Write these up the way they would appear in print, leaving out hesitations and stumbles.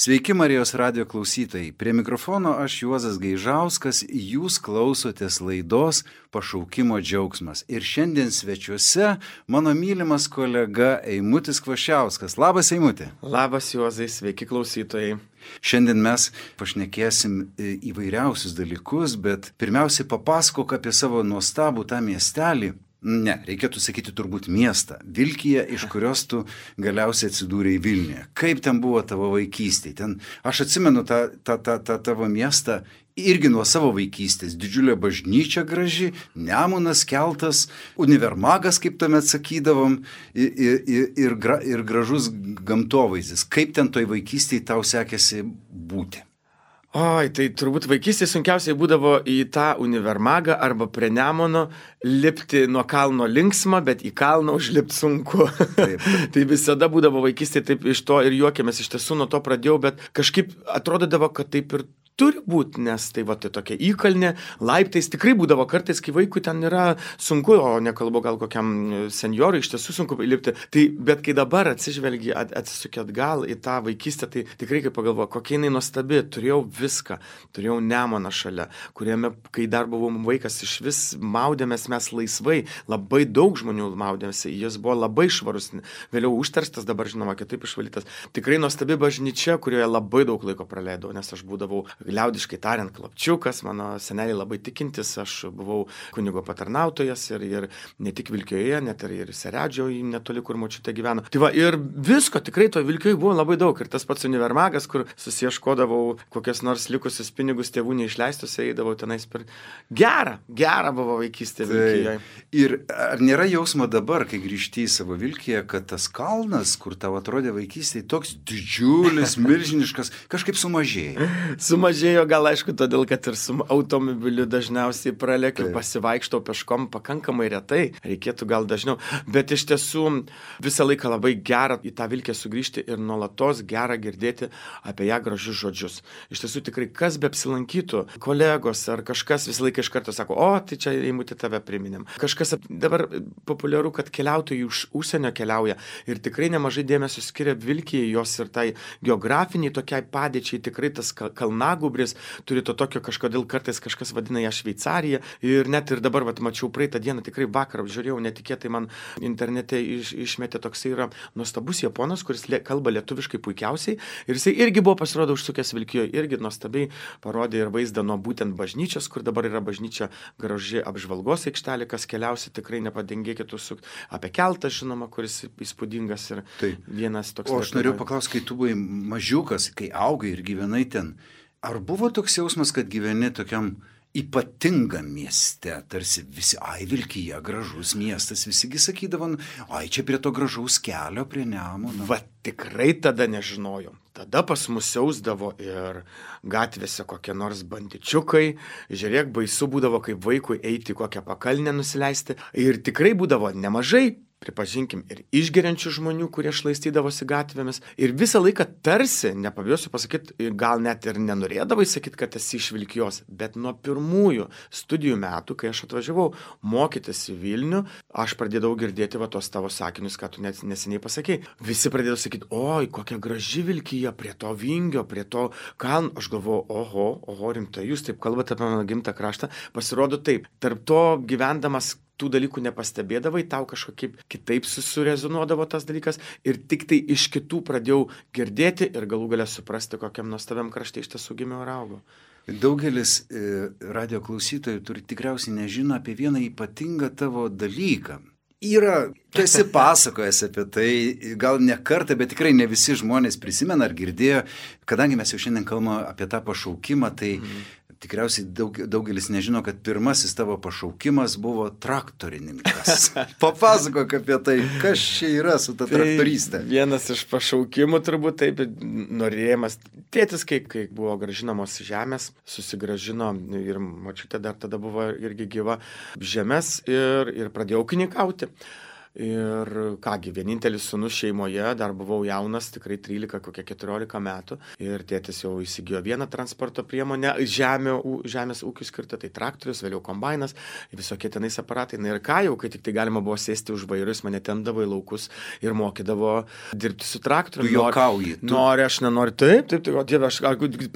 Sveiki Marijos radijo klausytojai. Prie mikrofono aš Juozas Gaižauskas, jūs klausotės laidos Pašaukimo džiaugsmas. Ir šiandien svečiuose mano mylimas kolega Eimutis Kvašiauskas. Labas, Eimuti. Labas, Juozai, sveiki klausytojai. Šiandien mes pašnekėsim įvairiausius dalykus, bet pirmiausiai papasakok apie savo nuostabų tą miestelį. Ne, reikėtų sakyti turbūt miestą. Vilkija, iš kurios tu galiausiai atsidūrei Vilniuje. Kaip ten buvo tavo vaikystėje? Ten, aš atsimenu tą tavo miestą irgi nuo savo vaikystės. Didžiulė bažnyčia graži, Nemunas, keltas, univermagas, kaip tuomet sakydavom, ir gražus gamtovaizdis. Kaip ten toj vaikystėje tau sekėsi būti? Oi, tai turbūt vaikystėje sunkiausiai būdavo į tą univermagą arba prie Nemuno lipti nuo kalno linksma, bet į kalną užlipti sunku. Tai visada būdavo vaikystėje, taip iš to ir juokėmės, iš tiesų nuo to pradėjau, bet kažkaip atrodydavo, kad taip ir turi būti, nes tai va, tai tokia įkalnė, laiptais tikrai būdavo kartais, kai vaikui ten yra sunku, o nekalbu gal kokiam senjorui, iš tiesų sunku lipti. Tai, bet kai dabar atsižvelgi, atsisukė atgal į tą vaikystę, tai tikrai kaip pagalvoju, kokia jinai nuostabi, turėjau viską, turėjau Nemuną šalia, kuriame, kai dar buvau vaikas, iš vis maudėmės mes laisvai, labai daug žmonių maudėmėsi, jis buvo labai švarus, vėliau užterstas, dabar žinoma, kitaip išvalytas. Tikrai nuostabi bažnyčia, kurioje labai daug laiko praleidau, nes aš būdavau liaudiškai tariant klapčiukas, mano seneliai labai tikintis, aš buvau kunigo patarnautojas ir ne tik Vilkijoje, net ir Seredžioje, netoli, kur močiutė gyveno. Tai va, ir visko tikrai to Vilkijoje buvo labai daug. Ir tas pats univermagas, kur susieškodavau kokias nors likusius pinigus tėvų neišleistus, eidavau tenais per... Gera buvo vaikystė Vilkijoje. Ir ar nėra jausmo dabar, kai grįžti į savo Vilkiją, kad tas kalnas, kur tau atrodė vaikystėje, toks didžiulis, milžiniškas, kažkaip sumažėjo? Sumažėjo gal aišku, todėl, kad ir su automobiliu dažniausiai pralekiu, pasivaikštau peškom pakankamai retai, reikėtų gal dažniau, bet iš tiesų visą laiką labai gera į tą Vilkę sugrįžti ir nuolatos gera girdėti apie ją gražius žodžius. Iš tiesų tikrai kas be apsilankytų, kolegos ar kažkas visą laiką iš karto sako, o tai čia Eimuti tave priminėm. Kažkas dabar populiaru, kad keliautojai iš užsienio keliauja ir tikrai nemažai dėmesio skiria Vilkijai, jos ir tai geografiniai tokiai padėčiai, tikrai tas kalnagubris turi to tokio kažkodėl kartais kažkas vadina ją Šveicarija ir net ir dabar mačiau praeitą dieną, tikrai vakar apžiūrėjau, netikėtai man internete išmetė toksai yra nuostabus japonas, kuris kalba lietuviškai puikiausiai ir jisai irgi buvo pasirodo užsukęs Vilkijoje, irgi nuostabiai parodė ir vaizdą nuo būtent bažnyčios, kur dabar yra bažnyčia graži apžvalgos aikštelė, kas keliausi tikrai nepadengėkit užsukti, apie keltą žinoma, kuris įspūdingas ir vienas toks. O aš norėjau paklausti, kai tu buvai mažiukas, kai augai ir gyvenai ten, ar buvo toks jausmas, kad gyveni tokiam ypatingam mieste, tarsi visi, Vilkija, gražus miestas, visigi sakydavo, čia prie to gražaus kelio, prie Nemuno. Va, tikrai tada nežinojom. Tada pas mus siausdavo ir gatvėse kokie nors bandičiukai, žiūrėk, baisu būdavo kaip vaikui eiti kokią pakalnę nusileisti ir tikrai būdavo nemažai, pripažinkim, ir išgeriančių žmonių, kurie šlaistydavosi gatvėmis. Ir visą laiką tarsi, nepabijosiu pasakyti, gal net ir nenorėdavai sakyti, kad esi iš Vilkijos, bet nuo pirmųjų studijų metų, kai aš atvažiavau mokytis į Vilnių, aš pradėdavau girdėti tos tavo sakinius, ką tu neseniai pasakei. Visi pradėdavo sakyti, oi, kokia graži Vilkija, prie to Vingio, prie to kalno. Aš galvoju, oho, rimtai, jūs taip kalbate apie mano gimtą kraštą. Pasirodo taip, tarp to gyvendamas tų dalykų nepastebėdavai, tau kažkaip kitaip surezonuodavo tas dalykas ir tik tai iš kitų pradėjau girdėti ir galų galę suprasti, kokiam nuostabiam krašte iš tiesų gimiau ir augau. Daugelis radio klausytojų tikriausiai nežino apie vieną ypatingą tavo dalyką. Tu esi pasakojęs apie tai, gal ne kartą, bet tikrai ne visi žmonės prisimena ar girdėjo, kadangi mes jau šiandien kalbame apie tą pašaukimą, tai tikriausiai daugelis nežino, kad pirmasis tavo pašaukimas buvo traktorininkas. Papasakok apie tai, kas čia yra su ta traktorystė. Vienas iš pašaukimų turbūt taip, norėjimas. Tėtis, kai buvo gražinamos žemės, susigražino ir močiutė dar tada buvo irgi gyva žemės ir pradėjau ūkininkauti. Ir kągi, vienintelis sūnus šeimoje, dar buvau jaunas, tikrai 13, kokie 14 metų. Ir tėtis jau įsigijo vieną transporto priemonę, žemės ūkiui skirtą, tai traktorius, vėliau kombainas, visokie tenais aparatai. Na ir ką jau, kai tik tai galima buvo sėsti už vairo, jis mane tempdavo į laukus ir mokydavo dirbti su traktoriumi. Tu juokauji. Nori, aš nenoriu. Taip, o Dieve, aš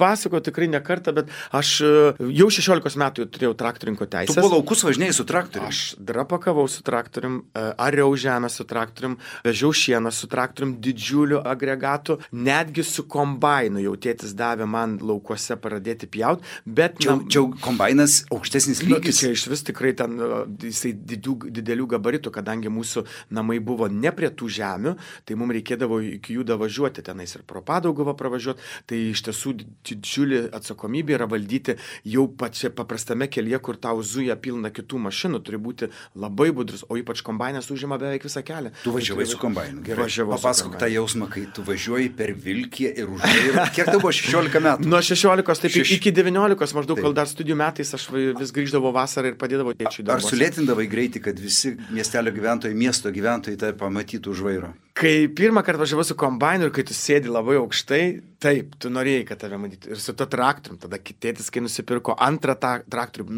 pasako tikrai ne kartą, bet aš jau 16 metų turėjau traktorinko teisės. Tu po laukus važinėjai su traktoriumi? Aš drapakavau su traktorium, ariau žemę su traktorium, vežiau šieną su traktorium, didžiuliu agregatu, netgi su kombainu jau tėtis davė man laukuose pradėti pjauti, bet... Čia kombainas aukštesnis lygis? Čia iš vis tikrai ten jisai didelių gabaritų, kadangi mūsų namai buvo ne prie tų žemių, tai mums reikėdavo iki jų davažiuoti tenais ir pro Padauguvą pravažiuoti, tai iš tiesų didžiulė atsakomybė yra valdyti jau pačia paprastame kelyje, kur tau zuja pilna kitų mašinų, turi būti labai budrus, o ypač kombainas užima beveik visą kelią. Tu važiavai su kombainu. Gerai, papasakok tą jausmą, kai tu važiuoji per Vilkiją ir už vairo. Kiek tau buvo 16 metų? Nuo 16, taip iki 19 maždaug, kol dar studijų metais aš vis grįždavau vasarą ir padėdavau tėčiui darbuose. Ar sulėtindavai greitį, kad visi miestelio gyventojai, miesto gyventojai tai pamatytų už vairo? Kai pirmą kartą važiavau su kombainu ir kai tu sėdi labai aukštai, taip, tu norėjai, kad tave matytų. Ir su to traktorium, tada tėtis, kai nusipirko antrą traktorių,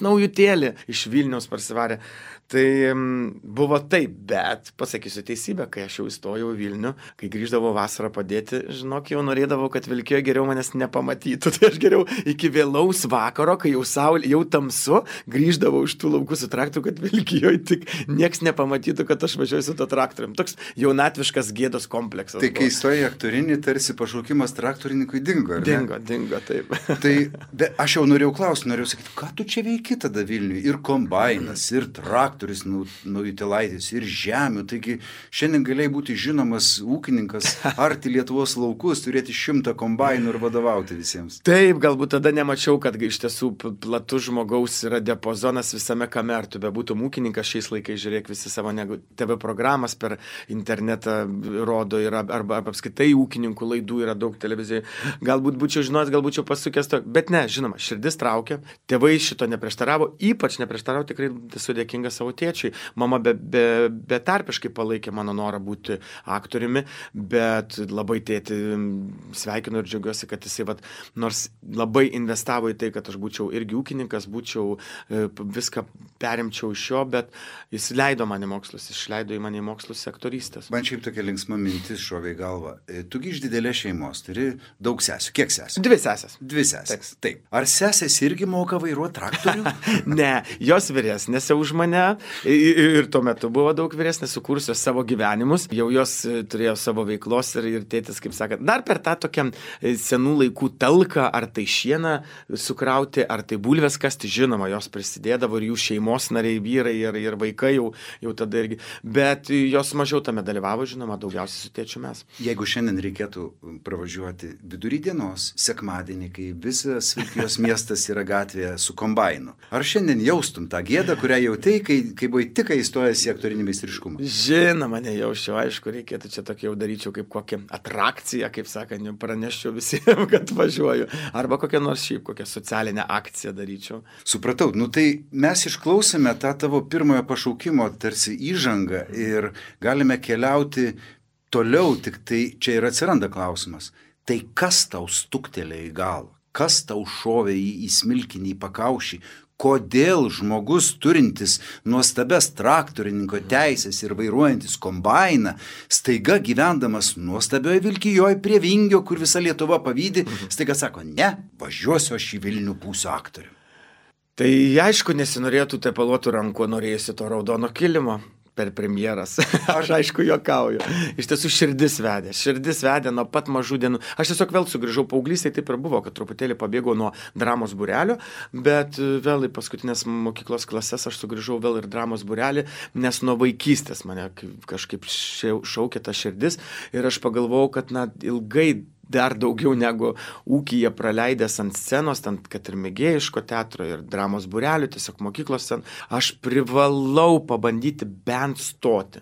naujutėlį iš Vilniaus parsivarė. Tai buvo taip, bet pasakysiu teisybę, kai aš jau įstojau į Vilnių, kai grįždavau vasarą padėti, žinok, jau norėdavau, kad Vilkijoje geriau manęs nepamatytų. Tai aš geriau iki vėlaus vakaro, kai jau saulė, jau tamsu, grįždavau iš tų laukų su traktoriu, kad Vilkijoje tik nieks nepamatytų, kad aš važiuoju su to traktorium. Toks jaunatviškas gėdos kompleksas. Tai kai įstojai aktorinį, tarsi pašaukimas traktorininkui dingo, ar ne? Dingo, taip. Tai aš jau norėjau sakyti, ką tu čia veiki tada Vilniui? Ir kombainas, ir traktorius naujutėlaitis, ir žemių. Taigi šiandien galėjai būti žinomas ūkininkas, arti Lietuvos laukus, turėti 100 kombainų ir vadovauti visiems. Taip, galbūt tada nemačiau, kad iš tiesų platus žmogaus yra diapazonas visame kame, ar tu bebūtum ūkininkas šiais laikais, žiūrėk, visi savo TV programas per internetą rodo, arba apskritai ūkininkų laidų yra daug televizijoje. Galbūt būčiau žinojęs, gal būčiau pasukęs to, bet ne, žinoma, širdis traukia, tėvai šito neprieštaravo, ypač neprieštaravo, tikrai esu dėkingas savo tėčiui. Mama betarpiškai palaikė mano norą būti aktoriumi, bet labai tėtį sveikinu ir džiaugiuosi, kad jisai nors labai investavo į tai, kad aš būčiau irgi ūkininkas, viską perimčiau iš jo, bet jis leido mane mokslus, išleido į mane į mokslus aktorystės. Man šiaip tokia linksma mintis šovė į galvą. Tu iš didelės šeimos, turi daug sesių. Kiek sesių? 2 sesės. 2 sesės. Taip. Ar sesės irgi moka vairuoti traktorių? Ne, jos vyresnės už mane ir tuo metu buvo daug vyresnės, sukūrusios savo gyvenimus. Jau jos turėjo savo veiklos ir tėtis, kaip sakant, dar per tą tokią senų laikų talką, ar tai šieną sukrauti, ar tai bulves kasti, žinoma, jos prisidėdavo ir jų šeimos nariai, vyrai ir vaikai jau tada irgi. Bet jos mažiau tame dalyvavo, žinoma, daugiausiai su tėčiu mes. Jeigu šiandien reikėtų pravažiuoti vidury dienos, sekmadienį, kai visas Vilkijos miestas yra gatvėje su kombainu, ar šiandien jaustum tą gėdą, kurią jautei, kai buvai tik įstojęs į aktorinį meistriškumą? Žinoma, nejausčiau, aišku, reikėtų čia tokį jau daryčiau kaip kokią atrakciją, kaip sakant, praneščiau visiems, kad važiuoju. Arba kokią nors šiaip, kokią socialinę akciją daryčiau. Supratau, tai mes išklausėme tą tavo pirmojo pašaukimo tarsi įžangą ir galime keliauti toliau, tik tai čia ir atsiranda klausimas. Tai kas tau stuktelėjo į galvą? Kas tau šovė į smilkinį, į pakaušį? Kodėl žmogus turintis nuostabes traktorininko teisės ir vairuojantis kombainą, staiga gyvendamas nuostabioje Vilkijoje prie Vingio, kur visa Lietuva pavydi, staiga sako, ne, važiuosiu aš į Vilnių, būsiu aktorium. Tai aišku, nesinorėtų tepaluotų rankų, norėjusi to raudono kilimo per premjeras. Aš aišku juokauju. Iš tiesų širdis vedė nuo pat mažų dienų. Aš tiesiog vėl sugrįžau paauglystėje, taip ir buvo, kad truputėlį pabėgau nuo dramos būrelio, bet vėl į paskutinės mokyklos klases aš sugrįžau vėl ir dramos būrelį, nes nuo vaikystės mane kažkaip šaukė ta širdis ir aš pagalvojau, kad ilgai dar daugiau negu ūkyje praleidęs ant scenos, kad ir mėgėjiško teatro ir dramos būrelių, tiesiog mokyklos scen, aš privalau pabandyti bent stoti,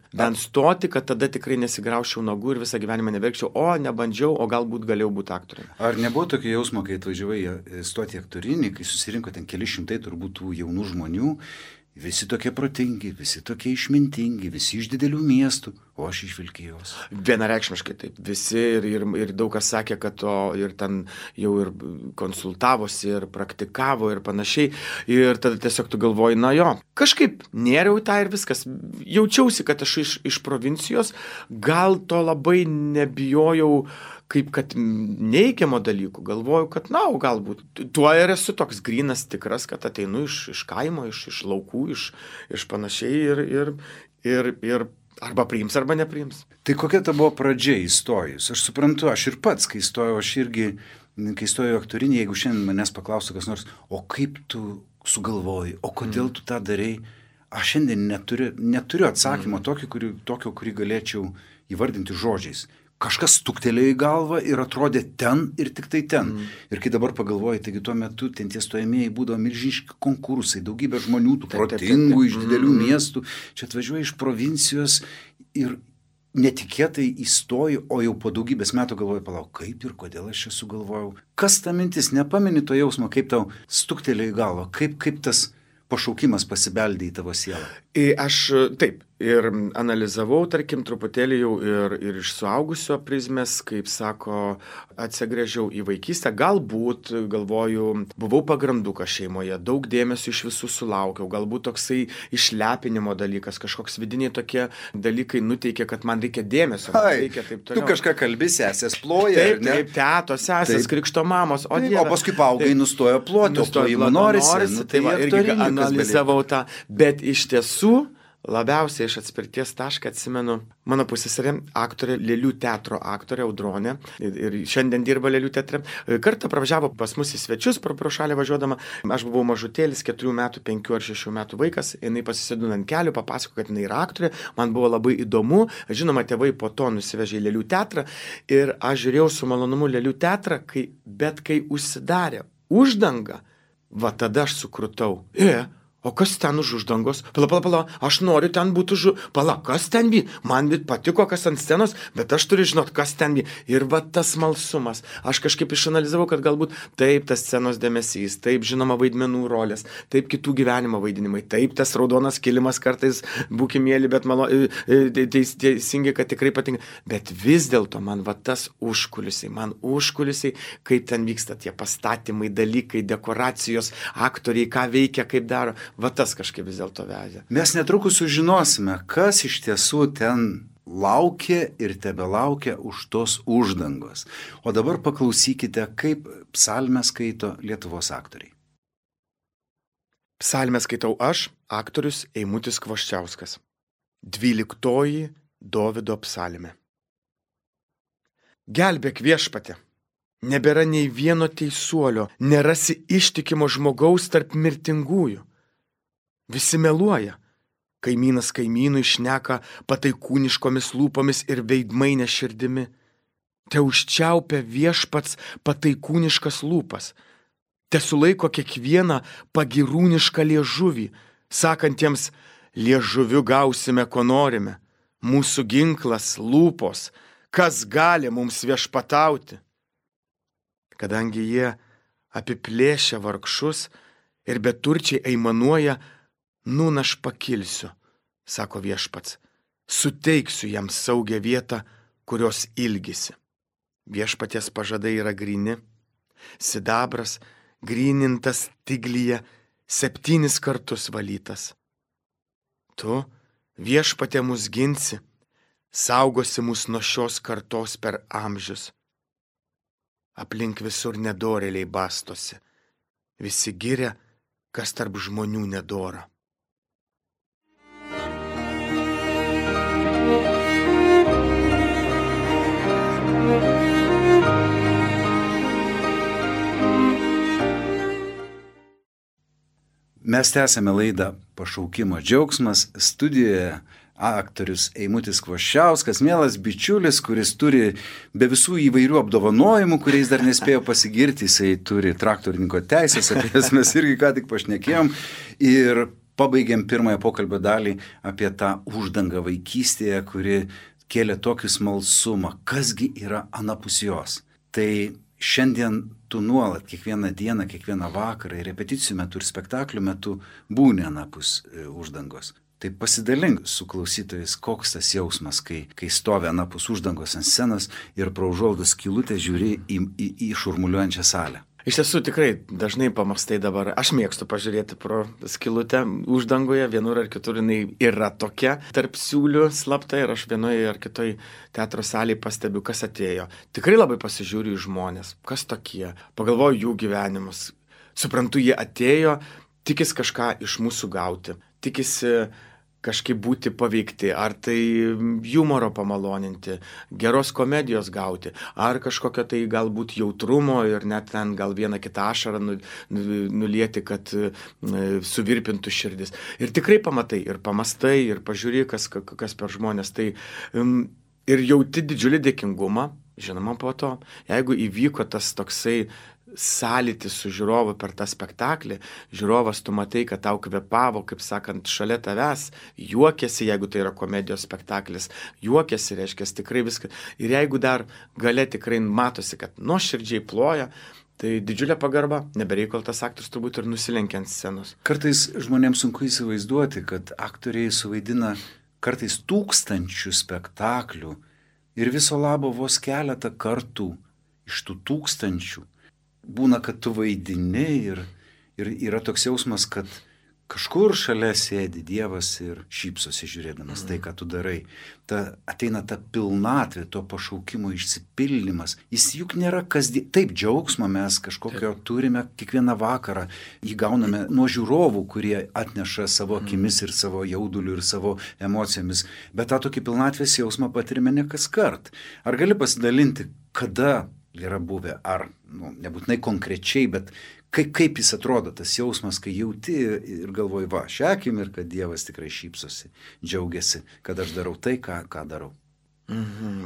kad tada tikrai nesigrauščiau nagų ir visą gyvenimą neverkčiau, o nebandžiau, o galbūt galėjau būti aktoriumi. Ar nebuvo tokio jausmo, kai atvažiavai stoti aktorinį, kai susirinko ten keli šimtai turbūt tų jaunų žmonių visi tokie protingi, visi tokie išmintingi, visi iš didelių miestų, o aš iš Vilkijos. Vienareikšmiškai taip. Visi ir daug kas sakė, kad to ir ten jau ir konsultavosi, ir praktikavo, ir panašiai. Ir tada tiesiog tu galvoji, na jo, kažkaip nėriau į tą ir viskas. Jaučiausi, kad aš iš provincijos, gal to labai nebijojau, kaip kad neigiamo dalykų, galvoju, kad, na, galbūt tuo ir esu toks grynas tikras, kad ateinu iš kaimo, iš laukų, iš panašiai ir arba priims, arba nepriims. Tai kokia ta buvo pradžia įstojus? Aš suprantu, aš ir pats, kai įstojau, kai įstojau aktorinį, jeigu šiandien manęs paklaustų kas nors, o kaip tu sugalvoji, o kodėl tu tą darai, aš šiandien neturiu atsakymo tokio, kurį galėčiau įvardinti žodžiais. Kažkas stuktelėjo į galvą ir atrodė ten ir tik tai ten. Ir kai dabar pagalvoju, taigi tuo metu ten tie stojamieji būdavo milžiniški konkursai, daugybė žmonių, tų protingų iš didelių miestų. Čia atvažiuoja iš provincijos ir netikėtai įstoju, o jau po daugybės metų galvoju, palauk, kaip ir kodėl aš čia sugalvojau. Kas ta mintis, nepameni to jausmo, kaip tau stuktelėjo į galvą, kaip tas pašaukimas pasibeldė į tavo sielą? Aš taip ir analizavau, tarkim, truputėlį jau ir iš suaugusio prizmės, kaip sako, atsigręžiau į vaikystę. Galbūt, galvoju, buvau pagrandukas šeimoje, daug dėmesio iš visų sulaukiau, galbūt toksai išlepinimo dalykas, kažkoks vidiniai tokie dalykai nuteikė, kad man reikia dėmesio. Reikia taip toliau. Tu kažką kalbi, sesės ploja, taip, ne? Taip, tetos, sesės, krikšto mamos, o Dieve. O paskui paaugai nustojo ploti, o plojimo norisi. Tai va, irgi analizavau tą, bet iš tiesų labiausiai iš atspirties tašką atsimenu mano pusseserė, aktorė, Lėlių teatro aktorė Audronė, ir šiandien dirba Lėlių teatre. Kartą pravažiavo pas mus į svečius, pro šalį važiuodama. Aš buvau mažutėlis, 4 metų, 5 ar 6 metų vaikas, jinai pasisėdino ant kelių, papasako, kad jinai yra aktorė, man buvo labai įdomu, žinoma, tėvai po to nusivežė į Lėlių teatrą ir aš žiūrėjau su malonumu Lėlių teatrą, bet kai užsidarė uždanga, va tada aš sukrutau. O kas ten už uždangos? Pala, aš noriu ten būti kas ten bi? Man patiko, kas ant scenos, bet aš turiu žinot, kas ten bi. Ir va tas smalsumas. Aš kažkaip išanalizavau, kad galbūt taip tas scenos dėmesys, taip žinoma vaidmenų rolės, taip kitų gyvenimo vaidinimai, taip tas raudonas kilimas kartais būkimėlį, bet teisingai, kad tikrai patinka. Bet vis dėlto man va tas užkulisiai, kaip ten vyksta tie pastatymai, dalykai, dekoracijos, aktoriai, ką veikia, kaip daro. Va tas kažkaip vis dėlto vežė. Mes netrukus sužinosime, kas iš tiesų ten laukia ir tebelaukia už tos uždangos. O dabar paklausykite, kaip psalmę skaito Lietuvos aktoriai. Psalmę skaitau aš, aktorius Eimutis Kvoščiauskas. 12 Dovydo psalmė. Gelbėk Viešpatie. Nebėra nei vieno teisuolio, nerasi ištikimo žmogaus tarp mirtingųjų. Visi meluoja. Kaimynas kaimynui šneka pataikūniškomis lūpomis ir veidmainė širdimi. Te užčiaupia Viešpats pataikūniškas lūpas. Te sulaiko kiekvieną pagirūnišką liežuvį, sakantiems, liežuviu gausime, ko norime. Mūsų ginklas lūpos, kas gali mums viešpatauti. Kadangi jie apiplėšia vargšus ir beturčiai aimanuoja, aš pakilsiu, sako Viešpats, suteiksiu jam saugią vietą, kurios ilgisi. Viešpaties pažadai yra gryni, sidabras, grynintas tiglyje, 7 kartus valytas. Tu, Viešpatie, mus ginsi, saugosi mus nuo šios kartos per amžius. Aplink visur nedorėliai bastosi, visi giria, kas tarp žmonių nedora. Mes tęsėme laidą Pašaukimo džiaugsmas. Studijoje aktorius Eimutis Kvoščiauskas, mielas bičiulis, kuris turi be visų įvairių apdovanojimų, kuriais dar nespėjo pasigirti. Jisai turi traktorininko teisės, apie jas mes irgi ką tik pašnekėjom. Ir pabaigėm pirmąją pokalbio dalį apie tą uždangą vaikystėje, kuri kėlė tokį smalsumą. Kasgi yra anapus jos? Tai šiandien tu nuolat, kiekvieną dieną, kiekvieną vakarą, ir repeticijų metu, ir spektaklių metu būni anapus uždangos. Tai pasidalink su klausytojais, koks tas jausmas, kai stovi anapus uždangos ant scenos ir pro užuolaidos skylutę žiūri į šurmuliuojančią salę. Iš tiesų tikrai dažnai pamastai dabar, aš mėgstu pažiūrėti pro skylutę uždangoje, vienur ar kitur jinai yra tokia tarp siūlių slapta ir aš vienoje ar kitoj teatro salėje pastebiu, kas atėjo. Tikrai labai pasižiūriu į žmonės, kas tokie, pagalvoju jų gyvenimus, suprantu, jie atėjo, tikisi kažką iš mūsų gauti, tikisi kažkaip būti paveikti, ar tai humoro pamaloninti, geros komedijos gauti, ar kažkokio tai galbūt jautrumo ir net ten gal vieną kitą ašarą nulieti, kad suvirpintų širdis. Ir tikrai pamatai, ir pamastai, ir pažiūri, kas per žmonės. Tai ir jauti didžiulį dėkingumą, žinoma po to, jeigu įvyko tas toksai sąlytis su žiūrovu per tą spektaklį, žiūrovas tu matai, kad tau kvepavo, kaip sakant, šalia tavęs, juokiasi, jeigu tai yra komedijos spektaklis, juokiasi, reiškia, tikrai viską. Ir jeigu dar gale tikrai matosi, kad nuoširdžiai ploja, tai didžiulė pagarba, nebereikal tas aktorius turbūt ir nusilenkia ant scenos. Kartais žmonėms sunku įsivaizduoti, kad aktoriai suvaidina kartais 1000 spektaklių ir viso labo vos keletą kartų iš tų 1000 būna, kad tu vaidini ir yra toks jausmas, kad kažkur šalia sėdi Dievas ir šypsosi žiūrėdamas tai, ką tu darai. Ateina ta pilnatvė, to pašaukimo išsipildymas. Jis juk nėra kasdien. Taip, džiaugsmą mes kažkokio turime kiekvieną vakarą. Jį gauname nuo žiūrovų, kurie atneša savo akimis ir savo jauduliu ir savo emocijomis. Bet tą tokį pilnatvės jausmą patirime ne kas kart. Ar gali pasidalinti, kada yra buvę, ar nebūtinai konkrečiai, bet kaip jis atrodo, tas jausmas, kai jauti ir galvoji, va, šią akimirką Dievas tikrai šypsosi, džiaugiasi, kad aš darau tai, ką darau.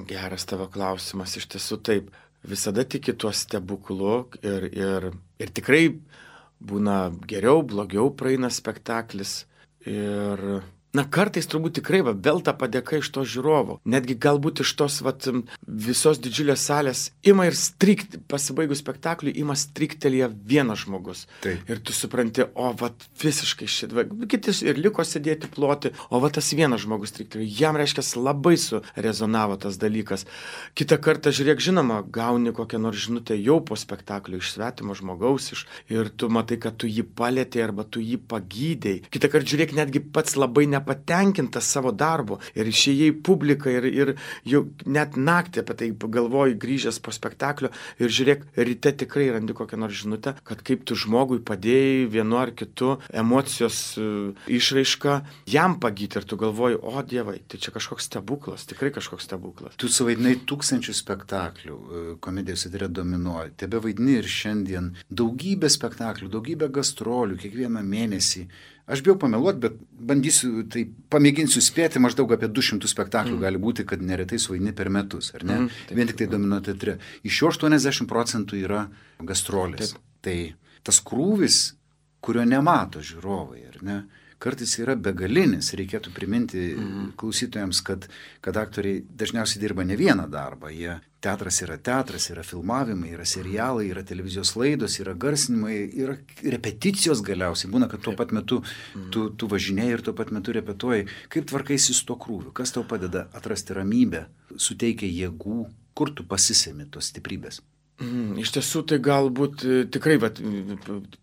Geras tavo klausimas, iš tiesų taip. Visada tiki tuo stebuklu ir tikrai būna geriau, blogiau praeina spektaklis ir kartais turbūt tikrai vėl ta padėka iš to žiūrovo. Netgi galbūt iš tos visos didžiulės salės ima ir pasibaigus spektakliui, ima striktelėje vienas žmogus. Taip. Ir tu supranti, visiškai kiti ir liko sėdėti ploti, tas vienas žmogus striktelėje. Jam reiškia labai surezonavo tas dalykas. Kitą kartą, žiūrėk, žinoma, gauni kokią nors žinutę jau po spektaklio iš svetimo žmogaus ir tu matai, kad tu jį palietei arba tu jį pagydei. Kitą kartą, žiūrėk, netgi pats labai patenkintas savo darbu ir išėjai publiką ir jau net naktį apie tai galvoji grįžęs po spektaklio ir žiūrėk, ryte tikrai randi kokią nors žinutę, kad kaip tu žmogui padėjai vienu ar kitu emocijos išraišką jam pagyti ir tu galvoji, o Dievai, tai čia kažkoks stebuklas, tikrai kažkoks stebuklas. Tu suvaidinai 1000 spektaklių, komedijos teatre dominuoja, tebe vaidini ir šiandien daugybę spektaklių, daugybę gastrolių, kiekvieną mėnesį. Aš bijau pameluoti, bet pamėginsiu spėti, maždaug apie 200 spektaklių gali būti, kad neretai suvaidini per metus, ar ne? Vien tik tai dominuoja teatre. Iš jo 80% yra gastrolės. Tai tas krūvis, kurio nemato žiūrovai, ar ne? Kartais yra begalinis, reikėtų priminti klausytojams, kad aktoriai dažniausiai dirba ne vieną darbą. Teatras, yra filmavimai, yra serialai, yra televizijos laidos, yra garsinimai, yra repeticijos galiausiai. Būna, kad tuo pat metu tu važinėjai ir tuo pat metu repetuoji. Kaip tvarkaisi su to krūviu? Kas tau padeda atrasti ramybę, suteikia jėgų, kur tu pasisemi tos stiprybės? Iš tiesų tai galbūt tikrai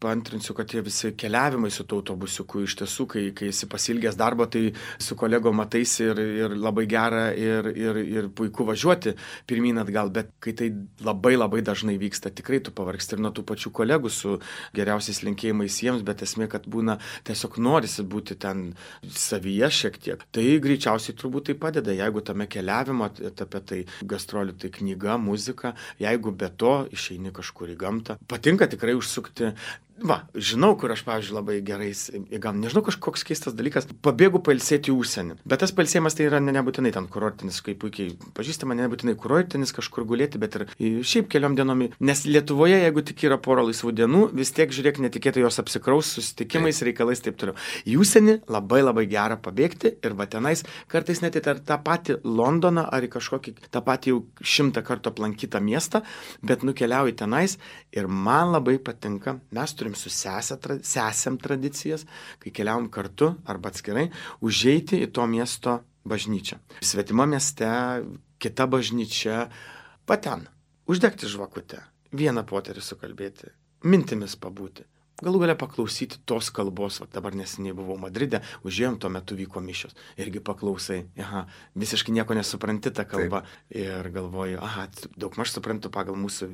paantrinsiu, kad tie visi keliavimai su tuo autobusiuku, iš tiesų, kai esi pasilgęs darbo, tai su kolegom mataisi ir labai gera ir puiku važiuoti pirmyn atgal, bet kai tai labai labai dažnai vyksta, tikrai tu pavargsti ir nuo tų pačių kolegų su geriausiais linkėjimais jiems, bet esmė, kad būna tiesiog norisi būti ten savyje šiek tiek. Tai greičiausiai turbūt tai padeda, jeigu tame keliavimo etape tai gastrolių, tai knyga, muzika, jeigu be to išeini kažkur į gamtą. Patinka tikrai užsukti Žinau, kur aš, pavyzdžiui, labai gerais, gal nežinau, kažkoks keistas dalykas, pabėgu pailsėti į užsienį. Bet tas pailsėjimas tai yra nebūtinai ten kurortinis, kaip puikiai pažįstama, nebūtinai kurortinis kažkur gulėti, bet ir šiaip keliom dienom. Nes Lietuvoje, jeigu tik yra pora laisvų dienų, vis tiek, žiūrėk, netikėtai jos apsikraus susitikimais, reikalais, taip toliau. Į užsienį labai gera pabėgti ir va tenais kartais net į tą patį Londoną ar į kažkokį tą patį jau 100 kartų aplankytą miestą, bet nukeliauju tenais ir man labai patinka, mes turim su sesėm tradicijas, kai keliaujam kartu arba atskirai, užeiti į to miesto bažnyčią. Svetimo mieste, kita bažnyčia, ten, uždegti žvakutę, vieną poterį sukalbėti, mintimis pabūti. Galų galia paklausyti tos kalbos, dabar neseniai buvau Madride, užėjom, tuo metu vyko mišios. Irgi paklausai, visiškai nieko nesupranti tą kalbą. Taip. Ir galvoju, daugmaž suprantu pagal mūsų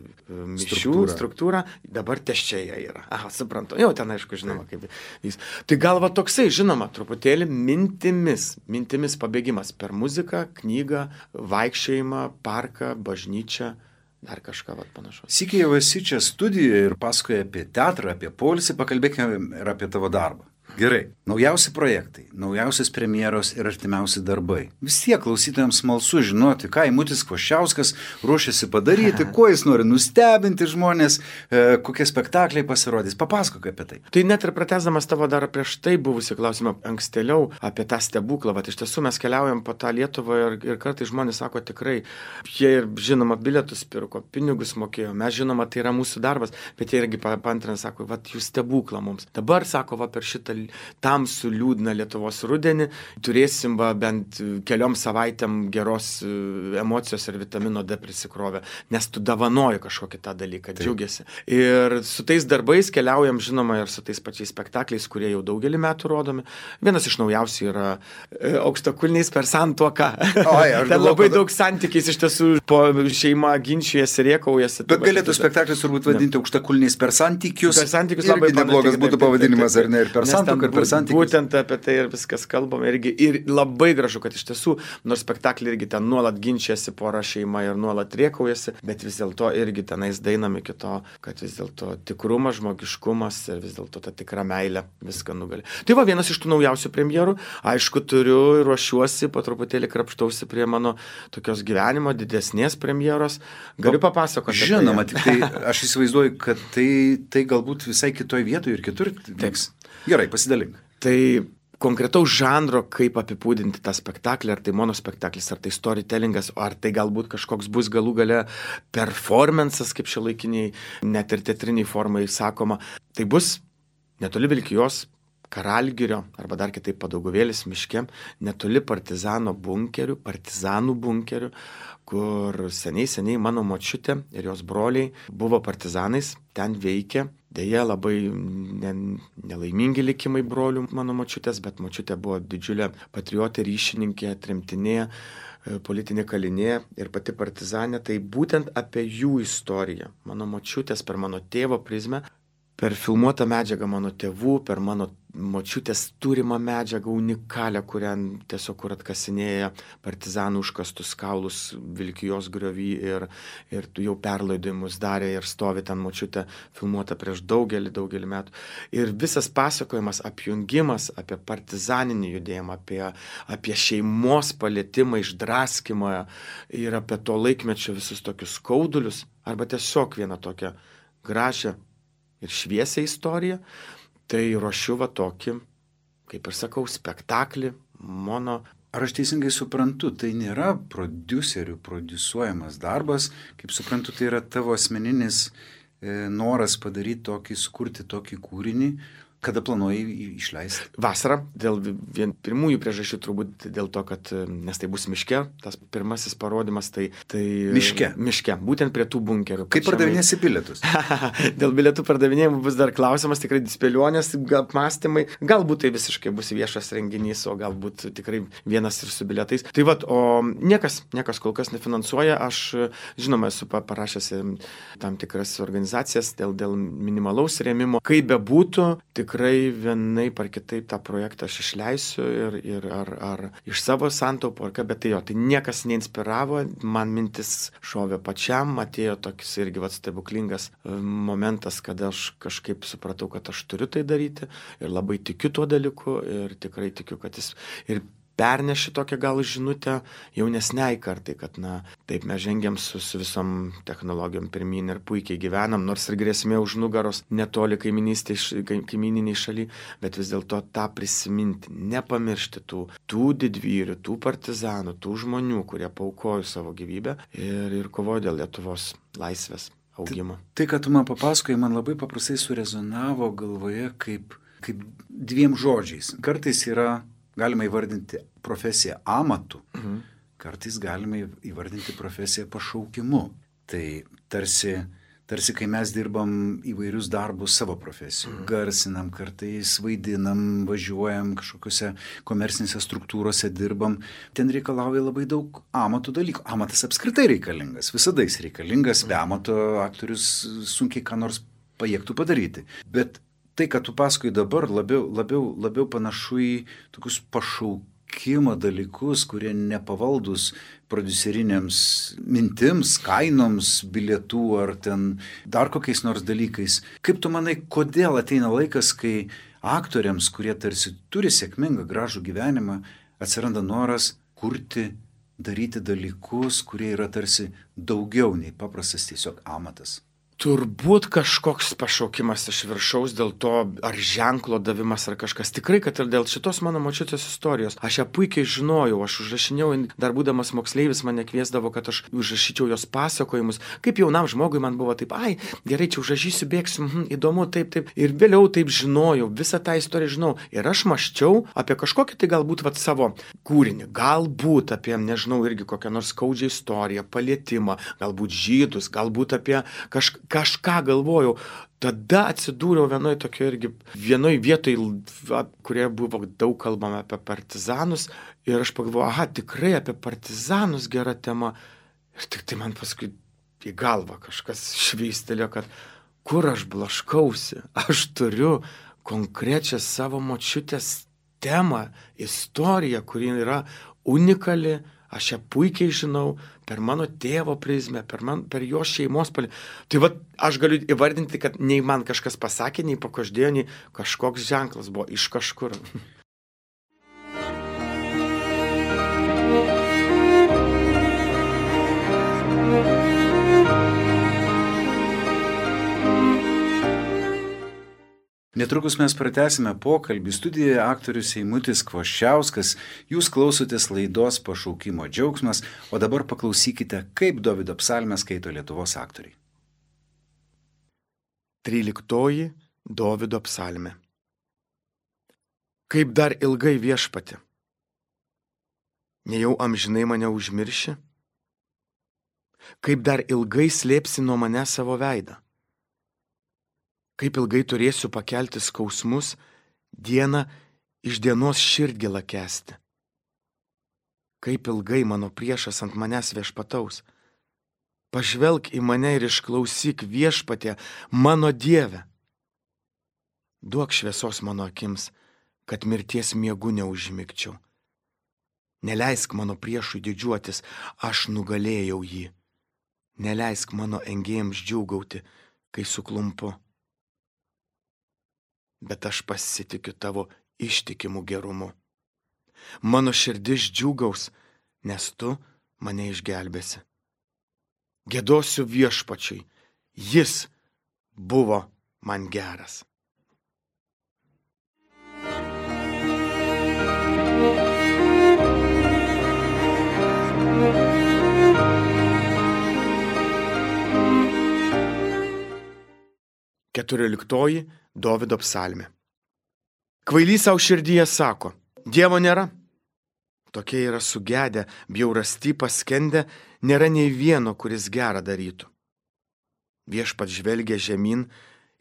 mišių struktūrą, dabar teščiai yra. Suprantu, jau ten aišku, žinoma, kaip jis. Tai gal toksai, žinoma, truputėlį mintimis pabėgimas per muziką, knygą, vaikščiojimą, parką, bažnyčią. Dar kažką panašaus. Sykį jau esi čia studijoje ir pasakoji apie teatrą, apie poilsį, pakalbėkime ir apie tavo darbą. Gerai, naujausi projektai, naujausios premjeros ir artimiausi darbai. Vis tiek klausytojams smalsu žinoti, ką Eimutis Kvoščiauskas ruošiasi padaryti, kuo jis nori nustebinti žmonės, kokie spektakliai pasirodys. Papasakok apie tai. Tai net ir pratęsdamas tavo dar prieš tai buvusi klausimą ankstėliau apie tą stebuklą. Iš tiesų mes keliaujam po tą Lietuvą ir kartais žmonės sako tikrai, jie ir žinoma bilietus pirko, pinigus mokėjo, mes žinoma tai yra mūsų darbas, bet jie irgi paantrina, sako, jūs stebuklą mums. Dabar sako, per šitą tamsų liūdną Lietuvos rudenį turėsim bent keliom savaitėm geros emocijos ir vitamino D prisikrovę, nes tu davanoji kažkokį tą dalyką, džiaugiasi. Ir su tais darbais keliaujam, žinoma, ir su tais pačiais spektakliais, kurie jau daugelį metų rodomi. Vienas iš naujausių yra Aukštakulniais per santuoką. Ten labai daug santykiais iš tiesų po šeima ginčijasi, rėkaujasi. Bet galėtų spektaklis turbūt vadinti Aukštakulniais per santykius. Per santykius labai neblogas būtų pavadinimas, ar ne, ir per santuoką. Būtent apie tai ir viskas kalbam. Ir labai gražu, kad iš tiesų, nors spektaklį irgi ten nuolat ginčiasi pora šeima ir nuolat rėkaujasi, bet vis dėlto irgi tenais dainam iki to, kad vis dėlto tikrumas, žmogiškumas ir vis dėlto ta tikra meilė viską nugali. Tai vienas iš tų naujausių premjerų. Aišku, turiu ir ruošiuosi, po truputėlį krapštausi prie mano tokios gyvenimo didesnės premjeros. Galiu papasakoti. Žinoma, tik tai aš įsivaizduoju, kad tai galbūt visai kitoj vietoje ir kitur teks. Gerai, pasidalink. Tai konkretaus žanro, kaip apibūdinti tą spektaklį, ar tai monospektaklis, ar tai storytellingas, ar tai galbūt kažkoks bus galų gale performances, kaip šiuolaikiniai, net ir teatriniai formai sakoma. Tai bus netoli Vilkijos Karalgirio, arba dar kitaip Padauguvėlis miške, netoli partizanų bunkerių, kur seniai mano močiutė ir jos broliai buvo partizanais, ten veikė. Deja, labai nelaimingi likimai brolių mano močiutės, bet močiutė buvo didžiulė patriotė, ryšininkė, tremtinė, politinė kalinė ir pati partizanė. Tai būtent apie jų istoriją, mano močiutės per mano tėvo prizmę, per filmuotą medžiagą mano tėvų, per mano močiutės turimą medžiagą unikalią, kurią tiesiog kur atkasinėja partizanų užkastus kaulus Vilkijos griovy ir jau perlaidojimus darė ir stovi ten močiutė filmuota prieš daugelį metų. Ir visas pasakojimas, apjungimas apie partizaninį judėjimą, apie šeimos palietimą, išdraskymą ir apie to laikmečio visus tokius skaudulius, arba tiesiog vieną tokią gražią ir šviesią istoriją, tai ruošiu tokį, kaip ir sakau, spektaklį, mono. Ar aš teisingai suprantu, tai nėra prodiuserių prodiusuojamas darbas, kaip suprantu, tai yra tavo asmeninis noras padaryti tokį, sukurti tokį kūrinį, kada planuoji išleisti? Vasarą, dėl pirmųjų priežasčių turbūt dėl to, kad nes tai bus miške, tas pirmasis parodymas, tai miške, būtent prie tų bunkerių. Kaip pardavinėsi bilietus? Dėl bilietų pardavinėjimų bus dar klausimas, tikrai spėlionės, apmąstymai, galbūt tai visiškai bus viešas renginys, o galbūt tikrai vienas ir su bilietais. Tai o niekas kol kas nefinansuoja, aš žinoma esu parašęs tam tikras organizacijas dėl minimalaus rėmimo. Kaip bebūtų, tik tikrai vienaip ar kitaip tą projektą aš išleisiu ir ar iš savo santaupų, ar ką, bet tai niekas neinspiravo, man mintis šovė pačiam, atėjo toks irgi stebuklingas momentas, kada aš kažkaip supratau, kad aš turiu tai daryti ir labai tikiu tuo dalyku ir tikrai tikiu, kad jis ir perneši tokią gal žinutę jaunesniai kartai, kad taip mes žengiam su visom technologijom pirmyn ir puikiai gyvenam, nors ir grėsmė už nugaros netoli kaimyniniai šaly, bet vis dėlto tą prisiminti, nepamiršti tų didvyrių, tų partizanų, tų žmonių, kurie paaukojo savo gyvybę ir kovojo dėl Lietuvos laisvės augimo. Tai, kad tu man papasakojai, man labai paprastai surezonavo galvoje kaip dviem žodžiais. Kartais galima įvardinti profesiją amatu, kartais galima įvardinti profesiją pašaukimu. Tai tarsi kai mes dirbam įvairius darbus savo profesijų, garsinam, kartais vaidinam, važiuojam kažkokiuose komercinėse struktūrose dirbam, ten reikalauja labai daug amatų dalykų. Amatas apskritai reikalingas, visada jis reikalingas, be amato aktorius sunkiai ką nors pajėgtų padaryti. Bet tai, kad tu pasakoji dabar, labiau panašu į tokius pašaukimo dalykus, kurie nepavaldus prodiuserinėms mintims, kainoms, bilietų ar ten dar kokiais nors dalykais. Kaip tu manai, kodėl ateina laikas, kai aktoriams, kurie tarsi turi sėkmingą, gražų gyvenimą, atsiranda noras kurti, daryti dalykus, kurie yra tarsi daugiau nei paprastas tiesiog amatas? Turbūt kažkoks pašaukimas iš viršaus dėl to, ar ženklo davimas, ar kažkas. Tikrai, kad ir dėl šitos mano močiutės istorijos. Aš ją puikiai žinojau, aš užrašinėjau, dar būdamas moksleivis mane kviesdavo, kad aš užrašyčiau jos pasakojimus. Kaip jaunam žmogui man buvo taip, gerai, čia užrašysiu, bėgsiu, įdomu, taip. Ir vėliau taip žinojau, visą tą istoriją žinau. Ir aš mąsčiau apie kažkokį tai galbūt savo kūrinį. Galbūt apie, nežinau, irgi kokią nors skaudžią istoriją, palietimą, galbūt žydus, galbūt apie kažką galvojau. Tada atsidūriau vienoj vietoj, kurioje buvo daug kalbama apie partizanus ir aš pagalvojau, tikrai apie partizanus gera tema. Ir tik tai man paskui į galvą kažkas šveistelėjo, kad kur aš blaškausi, aš turiu konkrečią savo močiutės temą, istoriją, kuri yra unikali, aš ją puikiai žinau, per mano tėvo prizmę, per jo šeimos palį. Tai aš galiu įvardinti, kad nei man kažkas pasakė, nei pakoždėjo, nei kažkoks ženklas buvo iš kažkur. Netrukus mes pratęsime pokalbį. Studijoje aktorius Eimutis Kvoščiauskas. Jūs klausotės laidos Pašaukimo džiaugsmas, o dabar paklausykite, kaip Dovydo psalmę skaito Lietuvos aktoriai. 13 Dovydo psalmė. Kaip dar ilgai viešpati? Nejau amžinai mane užmirši? Kaip dar ilgai slėpsi nuo mane savo veidą? Kaip ilgai turėsiu pakelti skausmus, dieną iš dienos širdgėlą kęsti? Kaip ilgai mano priešas ant manęs viešpataus? Pažvelk į mane ir išklausyk, Viešpatie, mano Dieve. Duok šviesos mano akims, kad mirties miegu neužmigčiau. Neleisk mano priešui didžiuotis, aš nugalėjau jį. Neleisk mano engėjams džiūgauti, kai suklumpu. Bet aš pasitikiu tavo ištikimų gerumu. Mano širdis džiūgaus, nes tu mane išgelbėsi. Giedosiu Viešpačiui, jis buvo man geras. Keturioliktoji Dovydo psalmė. Kvailys savo širdyje sako, Dievo nėra. Tokie yra sugedę, bjaurasty paskendę, nėra nei vieno, kuris gerą darytų. Viešpats žvelgia žemyn,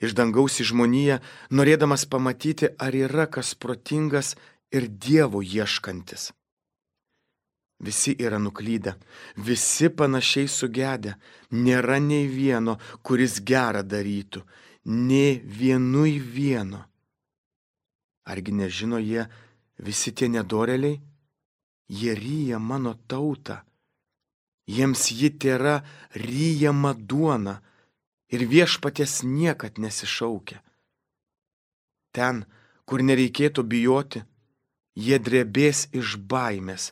iš dangaus į žmoniją, norėdamas pamatyti, ar yra kas protingas ir Dievo ieškantis. Visi yra nuklydę, visi panašiai sugedę, nėra nei vieno, kuris gerą darytų, nė vienui vieno. Argi nežino jie visi tie nedoreliai? Jie ryja mano tautą. Jiems ji tėra ryjama duona ir viešpaties niekad nesišaukia. Ten, kur nereikėtų bijoti, jie drebės iš baimės,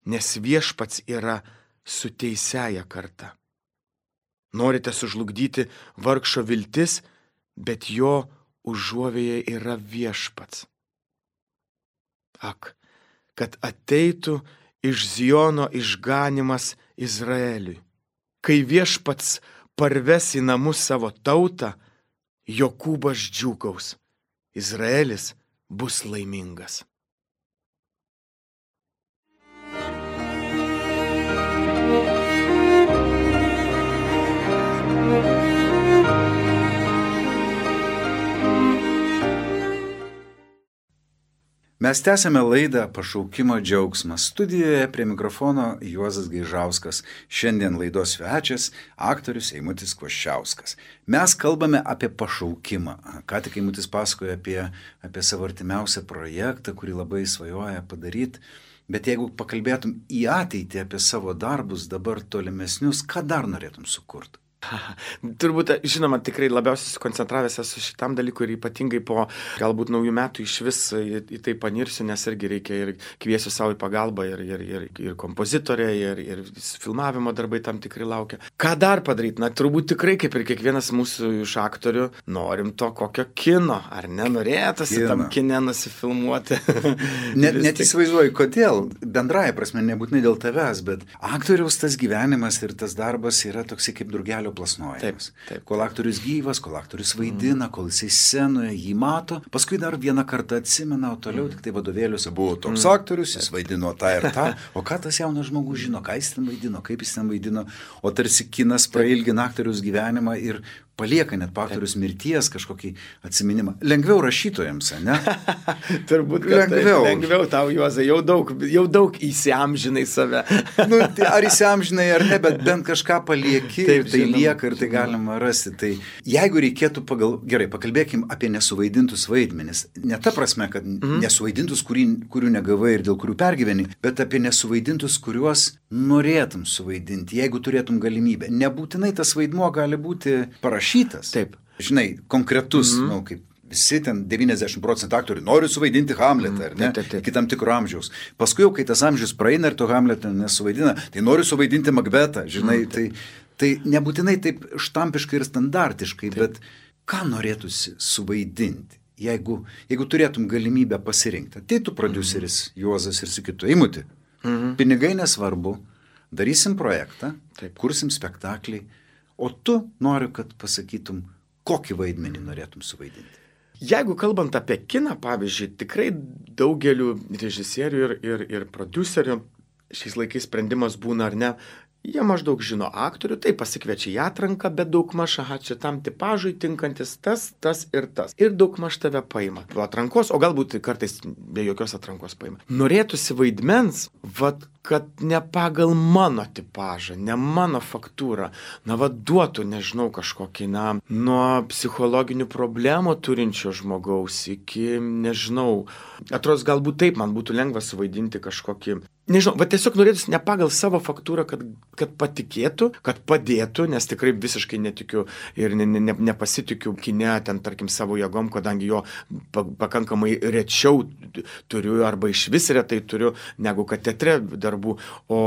nes viešpats yra su teisiaja karta. Norite sužlugdyti vargšo viltis, bet jo užuovėje yra viešpats. Ak, kad ateitų iš Ziono išganimas Izraeliui. Kai viešpats parves į namus savo tautą, Jokūbas džiūgaus, Izraelis bus laimingas. Mes tęsėme laidą Pašaukimo džiaugsmas. Studijoje prie mikrofono Juozas Gaižauskas. Šiandien laidos svečias aktorius Eimutis Kvoščiauskas. Mes kalbame apie pašaukimą. Ką tik Eimutis pasakoja apie savo artimiausią projektą, kurį labai svajoja padaryti. Bet jeigu pakalbėtum į ateitį apie savo darbus, dabar tolimesnius, ką dar norėtum sukurti? Turbūt, žinoma, tikrai labiausiai susikoncentravęs esu šitam dalykui ir ypatingai po galbūt naujų metų iš vis į tai panirsiu, nes irgi reikia ir kviesiu savo į pagalbą ir kompozitorė, ir filmavimo darbai tam tikrai laukia. Ką dar padaryti? Na, turbūt tikrai, kaip ir kiekvienas mūsų iš aktorių, norim to kokio kino, ar nenorėtasi tam kine nusifilmuoti. Net įsivaizduoju, kodėl, bendraja prasme, nebūtinai dėl tavęs, bet aktoriaus tas gyvenimas ir tas darbas yra toksai kaip drugelio plasnojimas. Taip. Kol aktorius gyvas, kol aktorius vaidina, kol jisai scenoje jį mato, paskui dar vieną kartą atsimena, o toliau tik tai vadovėliuose buvo toks aktorius, jis vaidino tą ir tą, o ką tas jaunas žmogus žino, ką jis ten vaidino, kaip jis ten vaidino, o tarsi kinas prailgina aktorius gyvenimą ir palieka net po aktorius mirties kažkokį atsiminimą. Lengviau rašytojams, ne? Turbūt, kad lengviau tau, Juozai, jau daug įsiamžinai save. Nu, tai ar įsiamžinai ar ne, bet bent kažką palieki, taip, tai lieka ir tai galima rasti. Tai jeigu reikėtų gerai, pakalbėkim apie nesuvaidintus vaidmenis. Ne ta prasme, kad nesuvaidintus, kurių negavai ir dėl kurių pergyveni, bet apie nesuvaidintus, kuriuos norėtum suvaidinti, jeigu turėtum galimybę. Nebūtinai tas vaidmuo gali būti parašytas. Taip. Žinai, konkretus, kaip visi ten 90% aktorių nori suvaidinti Hamletą, ar ne? Iki tam tikro amžiaus. Paskui jau, kai tas amžius praeina ir to Hamletą nesuvaidina, tai nori suvaidinti Makbetą, žinai, tai nebūtinai taip štampiškai ir standartiškai, bet ką norėtųsi suvaidinti, jeigu turėtum galimybę pasirinkti. Ateitų prodiuseris Juozas ir sakytų, Eimuti, pinigai nesvarbu, darysim projektą, kursim spektaklį, o tu noriu, kad pasakytum, kokį vaidmenį norėtum suvaidinti. Jeigu kalbant apie kiną, pavyzdžiui, tikrai daugeliu režisierių ir prodiuserių šiais laikais sprendimas būna ar ne, jie maždaug žino aktorių, tai pasikviečia į atranką, bet daugmaž, šitam tipažui tinkantis tas ir tas. Ir daugmaž tave paima. Po atrankos, o galbūt kartais be jokios atrankos paima. Norėtųsi vaidmens, kad ne pagal mano tipažą, ne mano faktūrą, duotų, nežinau, kažkokį, nuo psichologinių problemų turinčio žmogaus iki, nežinau, atrodo, galbūt taip man būtų lengva suvaidinti kažkokį, nežinau, tiesiog norėtųsi ne pagal savo faktūrą, kad patikėtų, kad padėtų, nes tikrai visiškai netikiu ir nepasitikiu kine, ten, tarkim, savo jėgom, kadangi jo pakankamai rečiau turiu arba iš vis retai turiu, negu kad teatre darbų, o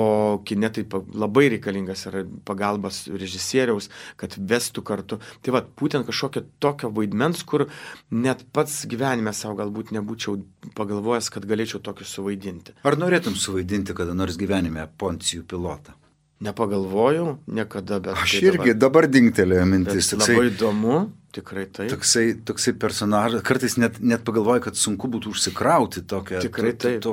kine tai labai reikalingas yra pagalbas režisieriaus, kad vestų kartu. Tai būtent kažkokio tokio vaidmens, kur net pats gyvenime savo galbūt nebūčiau pagalvojęs, kad galėčiau tokį suvaidinti. Ar norėtum suvaidinti kada nors gyvenime Poncijų pilotą? Nepagalvojau niekada, bet... Aš irgi dabar dingtelėjo mintis. Labai įdomu, tikrai taip. Toksai personažas, kartais net pagalvoju, kad sunku būtų užsikrauti tokią... Tikrai taip.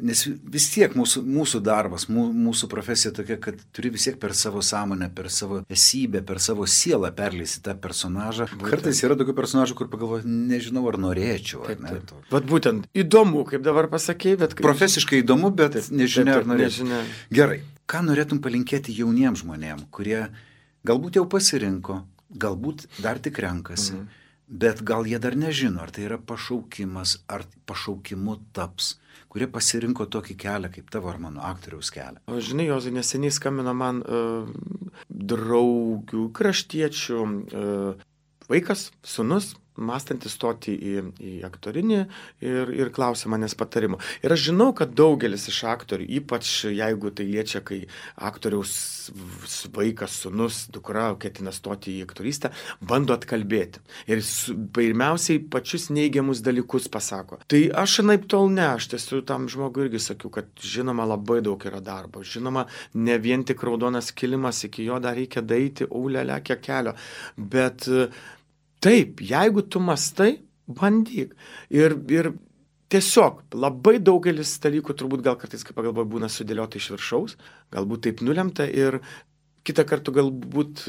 Nes vis tiek mūsų darbas, mūsų profesija tokia, kad turi vis tiek per savo sąmonę, per savo esybę, per savo sielą perleisti tą personažą. Kartais yra tokių personažų, kur pagalvoju, nežinau, ar norėčiau. Būtent įdomu, kaip dabar pasakei, bet... Profesiškai įdomu, bet nežinia, ar norėčiau. Gerai. Ką norėtum palinkėti jauniems žmonėms, kurie galbūt jau pasirinko, galbūt dar tik renkasi, bet gal jie dar nežino, ar tai yra pašaukimas, ar pašaukimu taps, kurie pasirinko tokį kelią, kaip tavo ar mano aktoriaus kelią. O žinai, Jozai, neseniai skambino man draugių, kraštiečių vaikas, sūnus, mąstantis stoti į aktorinį ir klausė manęs patarimo. Ir aš žinau, kad daugelis iš aktorių, ypač jeigu tai liečia, kai aktoriaus vaikas, sūnus, dukra ketina stoti į aktorystę, bando atkalbėti. Ir pirmiausiai pačius neigiamus dalykus pasako. Tai aš anaip tol ne, aš tiesiog tam žmogui irgi sakiau, kad žinoma labai daug yra darbo. Žinoma, ne vien tik raudonas kilimas, iki jo dar reikia daeiti, aulelę, kiek kelio. Bet taip, jeigu tu mastai, bandyk. Ir tiesiog labai daugelis dalykų turbūt gal kartais, kaip pagalvoju, būna sudėliota iš viršaus, galbūt taip nulemta ir kitą kartą galbūt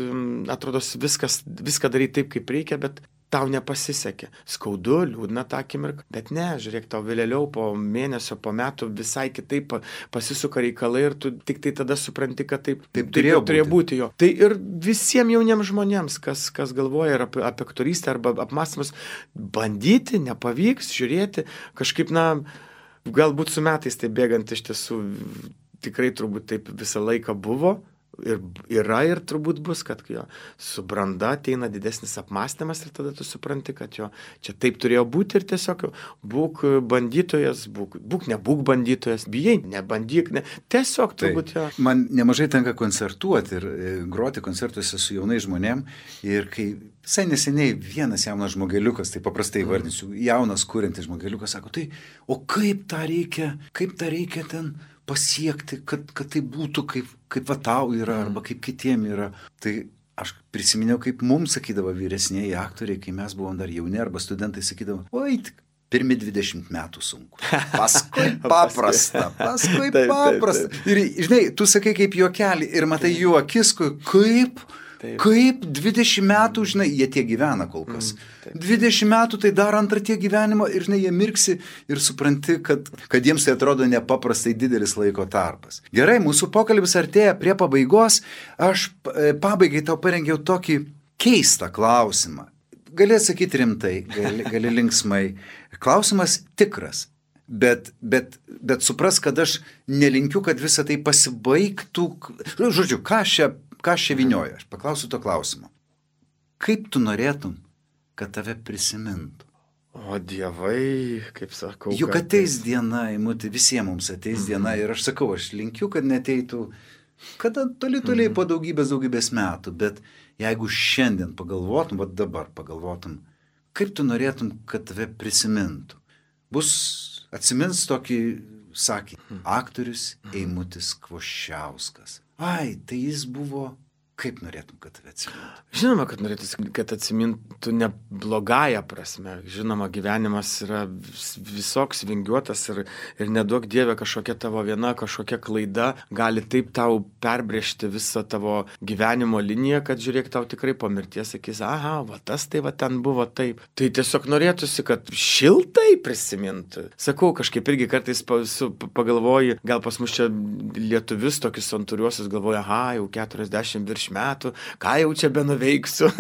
atrodo viską daryti taip, kaip reikia, bet tau nepasisekė. Skaudu, liūdna tą akimirką, bet ne, žiūrėk, tau vėliau po mėnesio, po metų visai kitaip pasisuka reikalai ir tu tik tai tada supranti, kad taip turėjo būti jo. Tai ir visiems jauniems žmonėms, kas galvoja apie aktorystę arba apmąstymus, bandyti, nepavyks, žiūrėti, kažkaip, galbūt su metais tai bėgant iš tiesų tikrai turbūt taip visą laiką buvo. Ir yra ir turbūt bus, kad jo su branda ateina didesnis apmąstymas ir tada tu supranti, kad jo čia taip turėjo būti ir tiesiog būk bandytojas, nebūk bandytojas, bijai, nebandyk, tiesiog turbūt jo. Man nemažai tenka koncertuoti ir groti koncertuose su jaunai žmonėm ir kai visai neseniai vienas jaunas žmogeliukas, tai paprastai vardinsiu, jaunas kuriantis žmogeliukas sako, tai o kaip tą reikia ten pasiekti, kad tai būtų kaip va tau yra, arba kaip kitiem yra. Tai aš prisiminiau, kaip mums sakydavo vyresnieji aktoriai, kai mes buvom dar jauni, arba studentai sakydavo, oi, tik pirmi 20 metų sunku. Paskui paprasta. Ir, žinai, tu sakai kaip juokelį ir matai jų akis, kaip 20 metų, žinai, jie tie gyvena kol kas. 20 metų tai dar antrą tie gyvenimo ir, žinai, jie mirksi ir supranti, kad jiems tai atrodo nepaprastai didelis laiko tarpas. Gerai, mūsų pokalbis artėja prie pabaigos. Aš pabaigai tau parengiau tokį keistą klausimą. Gali atsakyti rimtai, gali linksmai. Klausimas tikras. Bet supras, kad aš nelinkiu, kad visą tai pasibaigtų. Žodžiu, ką aš čia vynioju? Aš paklausiu to klausimo. Kaip tu norėtum, kad tave prisimintų? O dievai, kaip sakau. Juk ateis diena, Eimuti, visiems mums ateis diena ir aš sakau, aš linkiu, kad neteitų, kada toli po daugybės metų, bet jeigu šiandien pagalvotum, va dabar pagalvotum, kaip tu norėtum, kad tave prisimintų? Atsimins tokį sakinį, aktorius Eimutis Kvoščiauskas. Ai, tai jis buvo, kaip norėtum, kad tave atsimintų? Žinoma, kad norėtum, kad atsimintų ne blogąją prasme. Žinoma, gyvenimas yra visoks vingiuotas ir neduok Dieve kažkokia tavo viena, kažkokia klaida gali taip tau perbrėžti visą tavo gyvenimo liniją, kad žiūrėk, tau tikrai po mirties sakys, aha, va tas tai va ten buvo taip. Tai tiesiog norėtųsi, kad šiltai prisimintų. Sakau, kažkaip irgi kartais pagalvoji, gal pas mus čia lietuvius tokius santūriuosius galvoja, aha, jau 40 virš metų, ką jau čia benuveiksiu.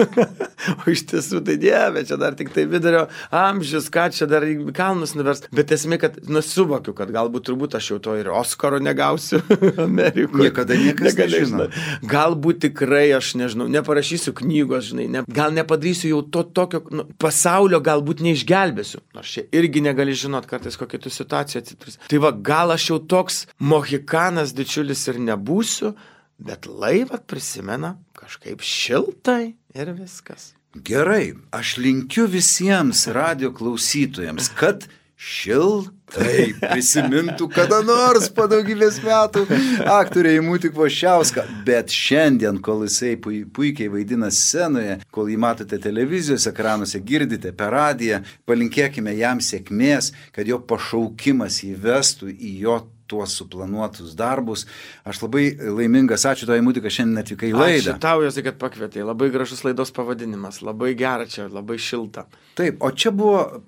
O iš tiesų tai Dieve, čia dar tik tai vidurio amžius, ką čia dar į kalnus nuvers. Bet esmė, kad suvokiu, kad galbūt turbūt aš jau to ir Oskaro negausiu Amerikoje. Niekada niekas nežino. Galbūt tikrai aš nežinau, neparašysiu knygos, žinai, gal nepadarysiu jau to tokio pasaulio, galbūt neišgelbėsiu. Nors čia irgi negali žinot, kartais kokia tu situacija atsiturs. Tai va, gal aš jau toks mohikanas didžiulis ir nebūsiu, bet laivą prisimena kažkaip šiltai ir viskas. Gerai, aš linkiu visiems radio klausytojams, kad šiltai prisimintų kada nors po daugybės metų aktorė Eimutį Kvoščiauską. Bet šiandien, kol jisai puikiai vaidina scenoje, kol jį matote televizijos ekranuose, girdite per radiją, palinkėkime jam sėkmės, kad jo pašaukimas įvestų į jo tuos suplanuotus darbus. Aš labai laimingas, ačiū tau, Eimuti, kad šiandien atvykai į laidą. Ačiū tau, Jozai, kad pakvietei. Labai gražus laidos pavadinimas, labai gera čia, labai šilta. Taip, o čia buvo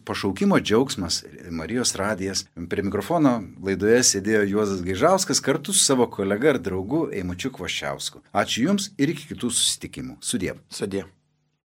pašaukimo džiaugsmas, Marijos radijas. Prie mikrofono laidoje sėdėjo Juozas Gaižauskas kartu su savo kolega ir draugu Eimučiu Kvoščiausku. Ačiū Jums ir iki kitų susitikimų. Sudie. Sudie.